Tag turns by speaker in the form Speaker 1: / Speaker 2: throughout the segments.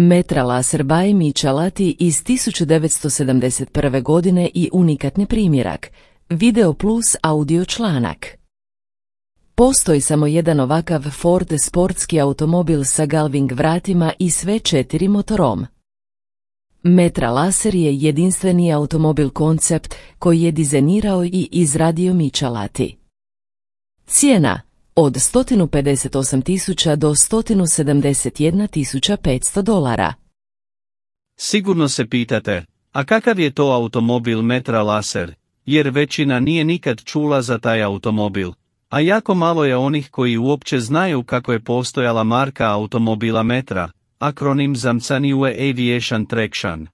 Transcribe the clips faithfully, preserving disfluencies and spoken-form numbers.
Speaker 1: Metra Laser by Michelati iz tisuću devetsto sedamdeset prve. godine i unikatni primjerak, Video plus audio članak. Postoji samo jedan ovakav Ford sportski automobil sa galving vratima i sve četiri motorom. Metra Laser je jedinstveni automobil koncept koji je dizajnirao i izradio Michelati. Cijena od sto pedeset osam tisuća do sto sedamdeset jedna tisuća petsto dolara.
Speaker 2: Sigurno se pitate, a kakav je to automobil Metra Laser, jer većina nije nikad čula za taj automobil, a jako malo je onih koji uopće znaju kako je postojala marka automobila Metra, akronim za New Aviation Traction.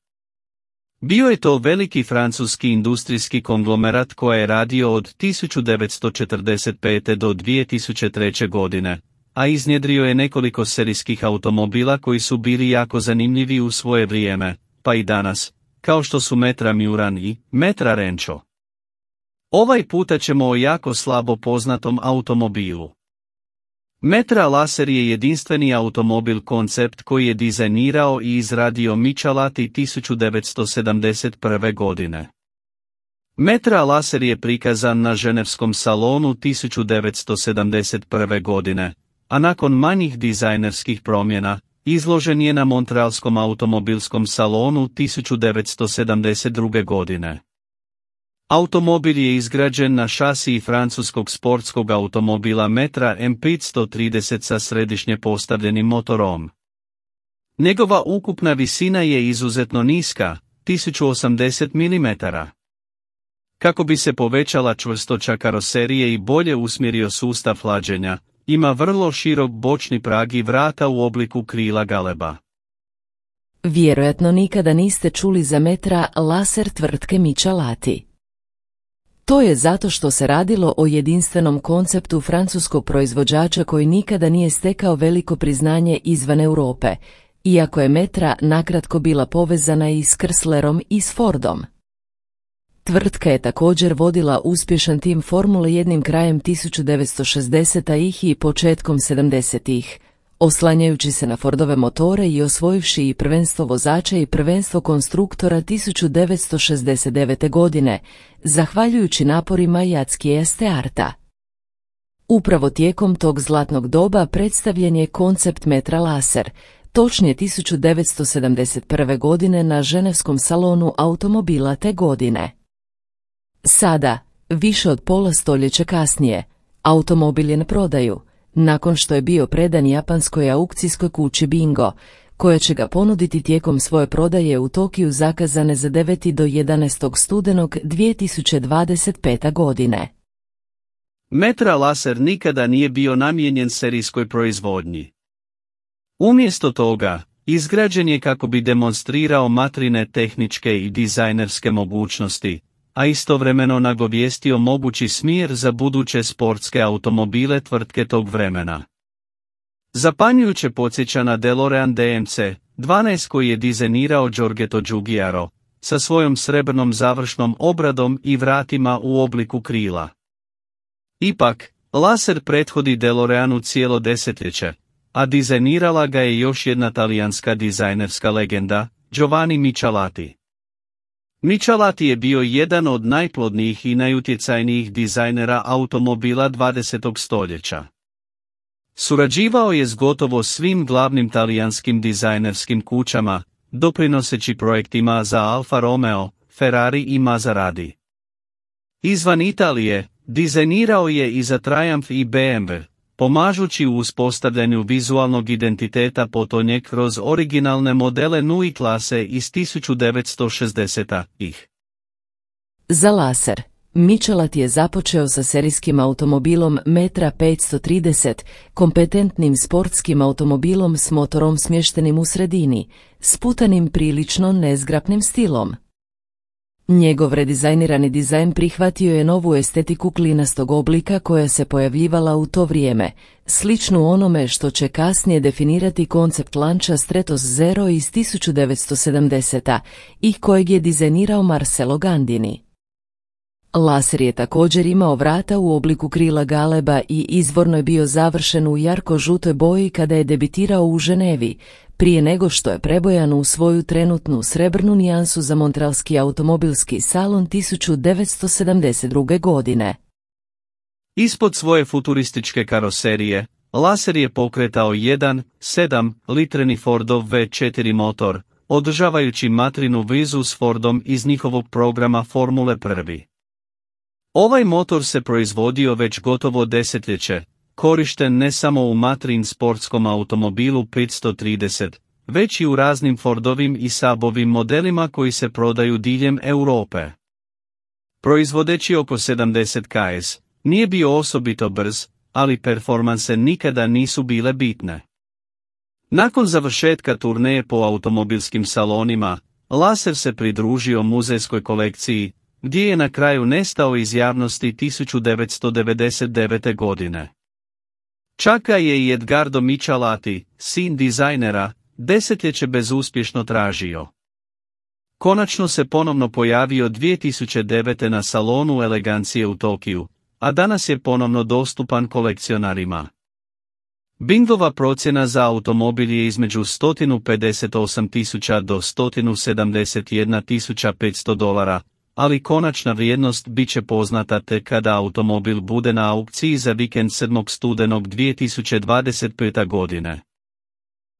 Speaker 2: Bio je to veliki francuski industrijski konglomerat koji je radio od tisuću devetsto četrdeset pete. do dvije tisuće treće. godine, a iznjedrio je nekoliko serijskih automobila koji su bili jako zanimljivi u svoje vrijeme, pa i danas, kao što su Metra Muran i Metra Rancho. Ovaj puta ćemo o jako slabo poznatom automobilu. Metra Laser je jedinstveni automobil koncept koji je dizajnirao i izradio Michelati tisuću devetsto sedamdeset prve. godine. Metra Laser je prikazan na ženevskom salonu tisuću devetsto sedamdeset prve. godine, a nakon manjih dizajnerskih promjena, izložen je na Montrealskom automobilskom salonu tisuću devetsto sedamdeset druge. godine. Automobil je izgrađen na šasiji francuskog sportskog automobila Metra M petsto trideset sa središnje postavljenim motorom. Njegova ukupna visina je izuzetno niska, tisuću osamdeset milimetara. Kako bi se povećala čvrstoća karoserije i bolje usmjerio sustav hlađenja, ima vrlo širok bočni prag i vrata u obliku krila galeba.
Speaker 1: Vjerojatno nikada niste čuli za Metra Laser tvrtke Michelati. To je zato što se radilo o jedinstvenom konceptu francuskog proizvođača koji nikada nije stekao veliko priznanje izvan Europe, iako je Metra nakratko bila povezana i s Chryslerom i s Fordom. Tvrtka je također vodila uspješan tim Formule jedan krajem tisuću devetsto šezdesetih i početkom sedamdesetih, oslanjajući se na Fordove motore i osvojivši i prvenstvo vozača i prvenstvo konstruktora tisuću devetsto šezdeset devete. godine, zahvaljujući naporima Jackija Stearta. Upravo tijekom tog zlatnog doba predstavljen je koncept Metra Laser, točnije tisuću devetsto sedamdeset prve. godine na ženevskom salonu automobila te godine. Sada, više od pola stoljeća kasnije, automobil je na prodaju, nakon što je bio predan japanskoj aukcijskoj kući Bingo, koja će ga ponuditi tijekom svoje prodaje u Tokiju zakazane za deveti do jedanaestog studenog dvije tisuće dvadeset pete. godine.
Speaker 2: Metra Laser nikada nije bio namijenjen serijskoj proizvodnji. Umjesto toga, izgrađen je kako bi demonstrirao Matrine tehničke i dizajnerske mogućnosti, a istovremeno nagovijestio mogući smjer za buduće sportske automobile tvrtke tog vremena. Zapanjujuće podsjeća na DeLorean D M C dvanaest koji je dizajnirao Giorgetto Giugiaro, sa svojom srebrnom završnom obradom i vratima u obliku krila. Ipak, Laser prethodi DeLoreanu cijelo desetljeće, a dizajnirala ga je još jedna talijanska dizajnerska legenda, Giovanni Michelati. Michelati je bio jedan od najplodnijih i najutjecajnijih dizajnera automobila dvadesetog stoljeća. Surađivao je s gotovo svim glavnim talijanskim dizajnerskim kućama, doprinoseći projektima za Alfa Romeo, Ferrari i Maserati. Izvan Italije, dizajnirao je i za Triumph i B M W, pomažući u uspostavljanju vizualnog identiteta potonje kroz originalne modele Nui klase iz tisuću devetsto šezdesetih.
Speaker 1: Za Laser, Michelati je započeo sa serijskim automobilom Metra petsto trideset, kompetentnim sportskim automobilom s motorom smještenim u sredini, sputanim prilično nezgrapnim stilom. Njegov redizajnirani dizajn prihvatio je novu estetiku klinastog oblika koja se pojavljivala u to vrijeme, sličnu onome što će kasnije definirati koncept lanča Stratos Zero iz tisuću devetsto sedamdesete. i kojeg je dizajnirao Marcello Gandini. Laser je također imao vrata u obliku krila galeba i izvorno je bio završen u jarko-žutoj boji kada je debitirao u Ženevi, prije nego što je prebojan u svoju trenutnu srebrnu nijansu za Montrealski automobilski salon tisuću devetsto sedamdeset druge. godine.
Speaker 2: Ispod svoje futurističke karoserije, Laser je pokretao jedan zarez sedam litreni Fordov V četiri motor, održavajući materinu vezu s Fordom iz njihovog programa Formule prvi. Ovaj motor se proizvodio već gotovo desetljeće, korišten ne samo u materin sportskom automobilu petsto trideset, već i u raznim Fordovim i Saabovim modelima koji se prodaju diljem Europe. Proizvodeći oko sedamdeset kilometara, nije bio osobito brz, ali performanse nikada nisu bile bitne. Nakon završetka turneje po automobilskim salonima, Laser se pridružio muzejskoj kolekciji, gdje je na kraju nestao iz javnosti tisuću devetsto devedeset devete. godine. Čak ga je i Edgardo Michalati, sin dizajnera, desetljeće bezuspješno tražio. Konačno se ponovno pojavio dvije tisuće devete. na salonu elegancije u Tokiju, a danas je ponovno dostupan kolekcionarima. Bingova procjena za automobil je između sto pedeset osam tisuća do sto sedamdeset jedna tisuća petsto dolara, ali konačna vrijednost bit će poznata tek kada automobil bude na aukciji za vikend sedmog studenog dvije tisuće dvadeset pete. godine.